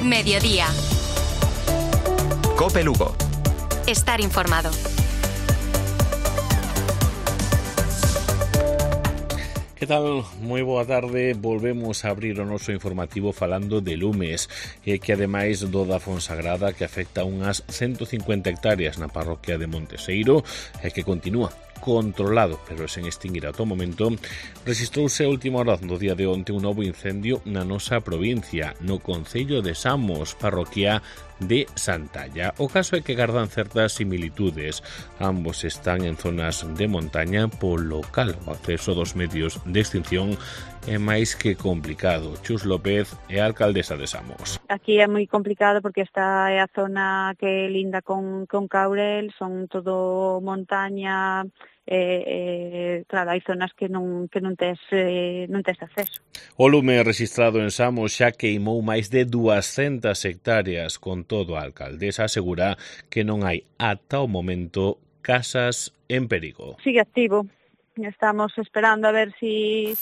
Mediodía. COPE Lugo. Estar informado. Que tal? Moi boa tarde. Volvemos a abrir o noso informativo falando de lumes, que ademais do da Fonsagrada, que afecta unhas 150 hectáreas na parroquia de Monteseiro, e que continúa controlado, pero sen extinguir ata o momento, rexistrouse a última hora do día de onte un novo incendio na nosa provincia, no concello de Samos, parroquia de Santalla. O caso é que gardan certas similitudes. Ambos están en zonas de montaña, polo cal o acceso dos medios de extinción é máis que complicado. Chus López é a alcaldesa de Samos. Aquí é moi complicado porque esta é a zona que linda con Caurel, son todo montaña, claro, hai zonas que non tes acceso. O lume rexistrado en Samos xa queimou máis de 200 hectáreas. Con todo, a alcaldesa asegura que non hai ata o momento casas en perigo. Sigue activo. Estamos esperando a ver si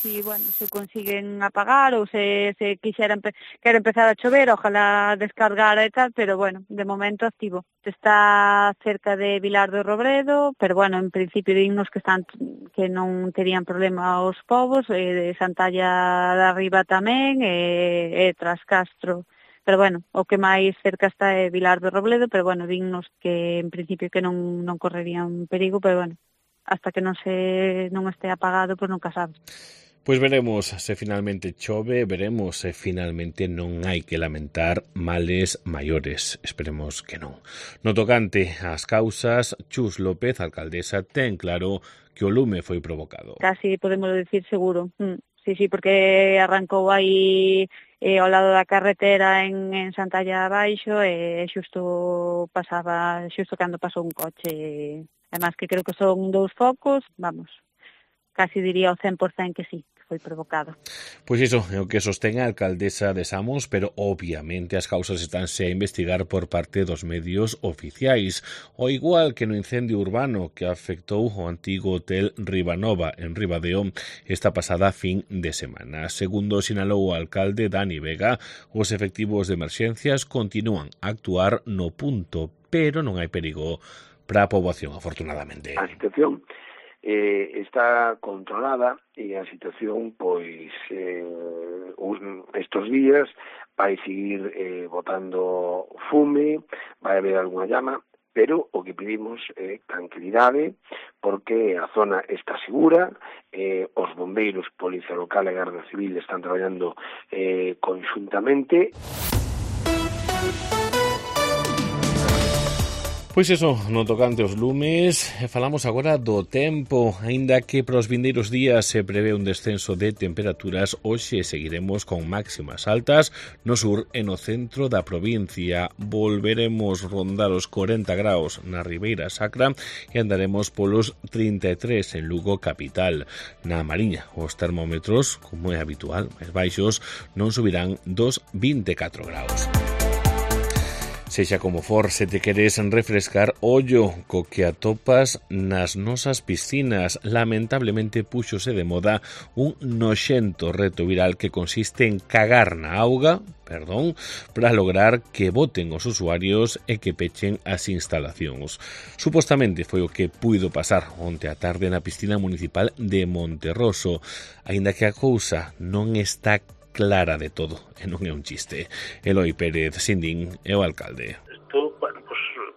consiguen apagar ou se quere empezar a chover, ojalá descargara e tal, pero bueno, de momento activo. Está cerca de Vilar do Robredo, pero bueno, en principio dignos que non terían problema os povos, de Santalla de Arriba tamén, e Trascastro. Pero bueno, o que máis cerca está é Vilar do Robledo, pero bueno, dignos que en principio que non correrían perigo, pero bueno, hasta que non este apagado, pois nunca sabes. Pois veremos se finalmente chove, veremos se finalmente non hai que lamentar males maiores. Esperemos que non. No tocante ás causas, Chus López, alcaldesa, ten claro que o lume foi provocado. Casi podemos decir seguro. Sí, porque arrancou aí ao lado da carretera en Santalla abaixo e xusto cando pasou un coche. Además que creo que son 2 focos, vamos, casi diría ao 100% que sí, que foi provocado. Pois iso é o que sostén a alcaldesa de Samos, pero obviamente as causas estánse a investigar por parte dos medios oficiais, ao igual que no incendio urbano que afectou o antigo hotel Ribanova en Ribadeo esta pasada fin de semana. Segundo sinalou o alcalde Dani Vega, os efectivos de emerxencias continúan a actuar no punto, pero non hai perigo para a poboación, afortunadamente. A situación está controlada e a situación, pois, estes días vai seguir botando fume, vai haber alguna llama, pero o que pedimos é tranquilidade, porque a zona está segura, os bombeiros, Policía Local e Garda Civil están traballando conxuntamente. Pois iso, no tocante aos lumes, falamos agora do tempo. Aínda que para os vindeiros días se prevé un descenso de temperaturas, hoxe seguiremos con máximas altas no sur e no centro da provincia. Volveremos rondar os 40 graus na Ribeira Sacra e andaremos polos 33 en Lugo capital. Na Mariña, os termómetros, como é habitual, máis baixos, non subirán dos 24 graus. Sexa como for, se te queres refrescar, ollo co que atopas nas nosas piscinas. Lamentablemente púxose de moda un noxento reto viral que consiste en cagar na auga, para lograr que boten os usuarios e que pechen as instalacións. Supostamente foi o que puido pasar onte á tarde na piscina municipal de Monterroso, aínda que a cousa non está clara de todo, e non é un chiste. Eloi Pérez Sindín é o alcalde. Isto,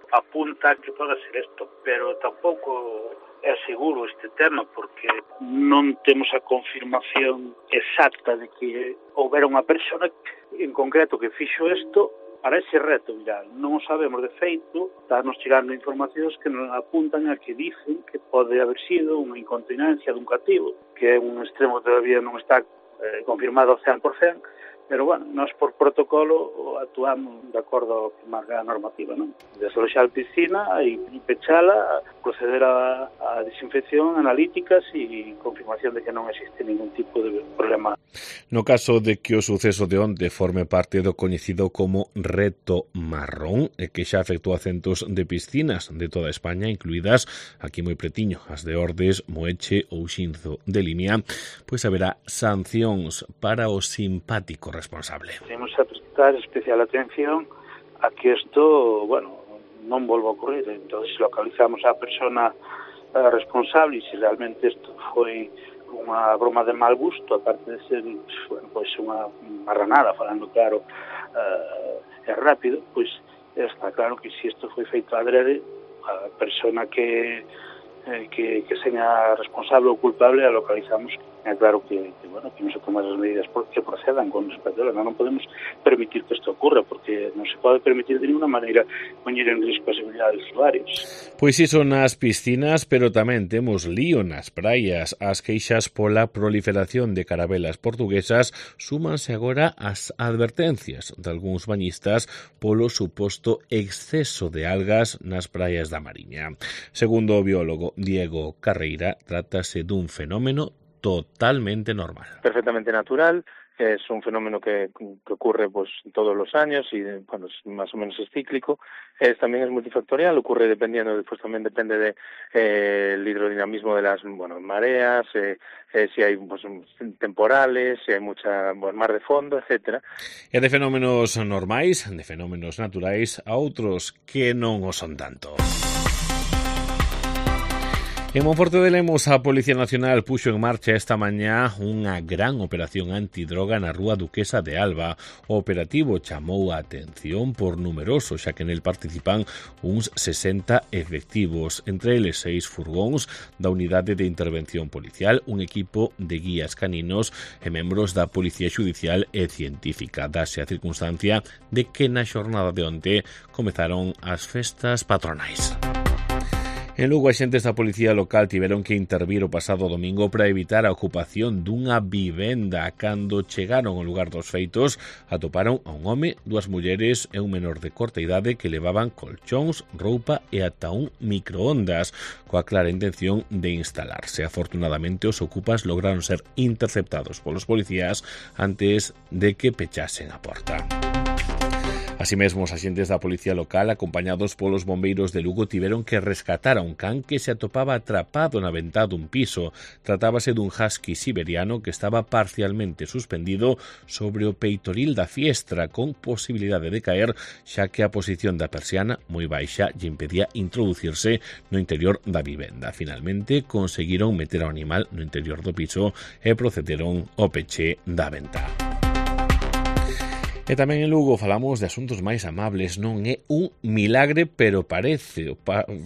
apunta que pode ser isto, pero tampouco é seguro este tema, porque non temos a confirmación exacta de que houbera unha persona en concreto que fixo isto para ese reto viral. Non o sabemos de feito, estános chegando informacións que nos apuntan a que dicen que pode haber sido unha incontinencia dun cativo, que é un extremo que todavía non está confirmado ao 100%, pero bueno, nós por protocolo actuamos de acordo ao que marca a normativa, non? Desaloxar a piscina e pechala, proceder a desinfección, analíticas e confirmación de que non existe ningún tipo de problema. No caso de que o suceso de onte forme parte do coñecido como Reto Marrón, e que xa afectou a centos de piscinas de toda España, incluídas aquí moi pretiño as de Ordes, Moeche ou Xinzo de Limia, pois haberá sancións para os simpáticos responsable. Temos a prestar especial atención a que isto, non volva a ocurrir. Entón, se localizamos a persona responsable e se realmente isto foi unha broma de mal gusto, aparte de ser unha marranada, falando claro e rápido, pois está claro que se isto foi feito adrede, a persona que seña responsable ou culpable a localizamos. É claro que non se toman as medidas que procedan con respecto a ela. Non podemos permitir que isto ocurra, porque non se pode permitir de ninguna maneira poñer en risco a seguridade dos usuarios. Pois iso nas piscinas, pero tamén temos lío nas praias. As queixas pola proliferación de carabelas portuguesas súmanse agora ás advertencias de algúns bañistas polo suposto exceso de algas nas praias da Mariña. Segundo o biólogo Diego Carreira, trátase dun fenómeno totalmente normal. Perfectamente natural, es un fenómeno que ocurre pues todos los años y más o menos es cíclico. También es multifactorial, ocurre dependiendo, pues también depende de el hidrodinamismo de las mareas, si hay temporales, si hay mucha mar de fondo, etcétera. E de fenómenos normais, de fenómenos naturais, a outros que non o son tanto. En Monforte de Lemos, a Policía Nacional puxo en marcha esta mañá unha gran operación antidroga na rúa Duquesa de Alba. O operativo chamou a atención por numeroso, xa que nel participan uns 60 efectivos, entre eles 6 furgóns da Unidade de Intervención Policial, un equipo de guías caninos e membros da Policía Xudicial e Científica. Dase a circunstancia de que na xornada de onte comezaron as festas patronais. En Lugo, axentes da Policía Local tiveron que intervir o pasado domingo para evitar a ocupación dunha vivenda. Cando chegaron ao lugar dos feitos, atoparon a un home, 2 mulleres e un menor de corta idade que levaban colchóns, roupa e ata un microondas, coa clara intención de instalarse. Afortunadamente, os ocupas lograron ser interceptados polos policías antes de que pechasen a porta. Así mesmo, os axentes da Policía Local, acompañados polos bombeiros de Lugo, tiveron que rescatar a un can que se atopaba atrapado na ventá dun piso. Tratábase dun husky siberiano que estaba parcialmente suspendido sobre o peitoril da fiestra, con posibilidade de caer, xa que a posición da persiana, moi baixa, lle impedía introducirse no interior da vivenda. Finalmente, conseguiron meter ao animal no interior do piso e procederon ao peche da ventá. E tamén en Lugo falamos de asuntos máis amables. Non é un milagre, pero parece.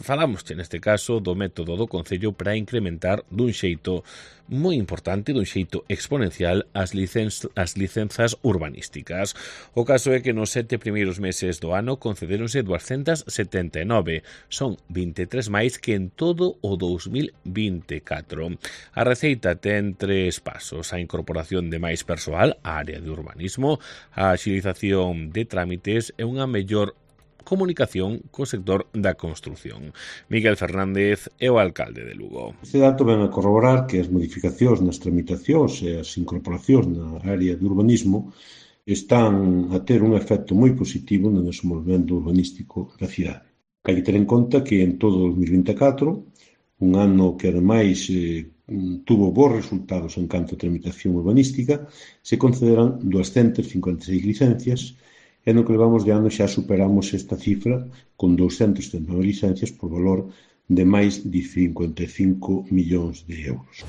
Falamos neste caso do método do Concello para incrementar dun xeito moi importante, dun xeito exponencial, as licenzas urbanísticas. O caso é que nos 7 primeiros meses do ano concedéronse 279. Son 23 máis que en todo o 2024. A receita ten 3 pasos: a incorporación de máis persoal á área de urbanismo, a agilización de trámites e unha mellor comunicación co sector da construción. Miguel Fernández é o alcalde de Lugo. Este dato ven a corroborar que as modificacións nas tramitacións e as incorporacións na área de urbanismo están a ter un efecto moi positivo no desenvolvemento urbanístico da cidade. Hai que ter en conta que en todo o 2024, un ano que ademais tuvo bons resultados en canto a tramitación urbanística, se concederán 256 licencias e no que levamos de ano xa superamos esta cifra con 279 licencias por valor de máis de 55 millóns de euros.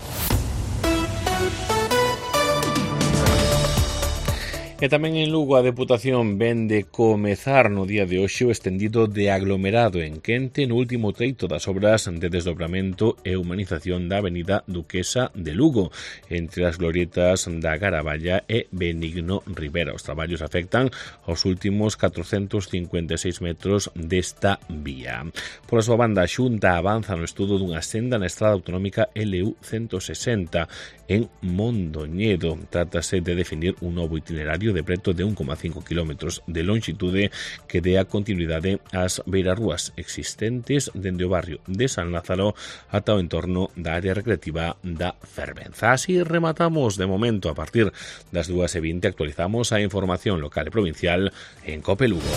E tamén en Lugo a Deputación ven de comezar no día de hoxe o estendido de aglomerado en Quente no último treito das obras de desdobramento e humanización da avenida Duquesa de Lugo, entre as glorietas da Garaballa e Benigno Rivera. Os traballos afectan aos últimos 456 metros desta vía. Por a súa banda, a Xunta avanza no estudo dunha senda na estrada autonómica LU 160 en Mondoñedo. Trátase de definir un novo itinerario de preto de 1,5 km de longitude que dea continuidade ás beirarrúas existentes dende o barrio de San Lázaro ata o entorno da área recreativa da Fervenza. Así rematamos de momento. A partir das 2:20 actualizamos a información local e provincial en COPE Lugo.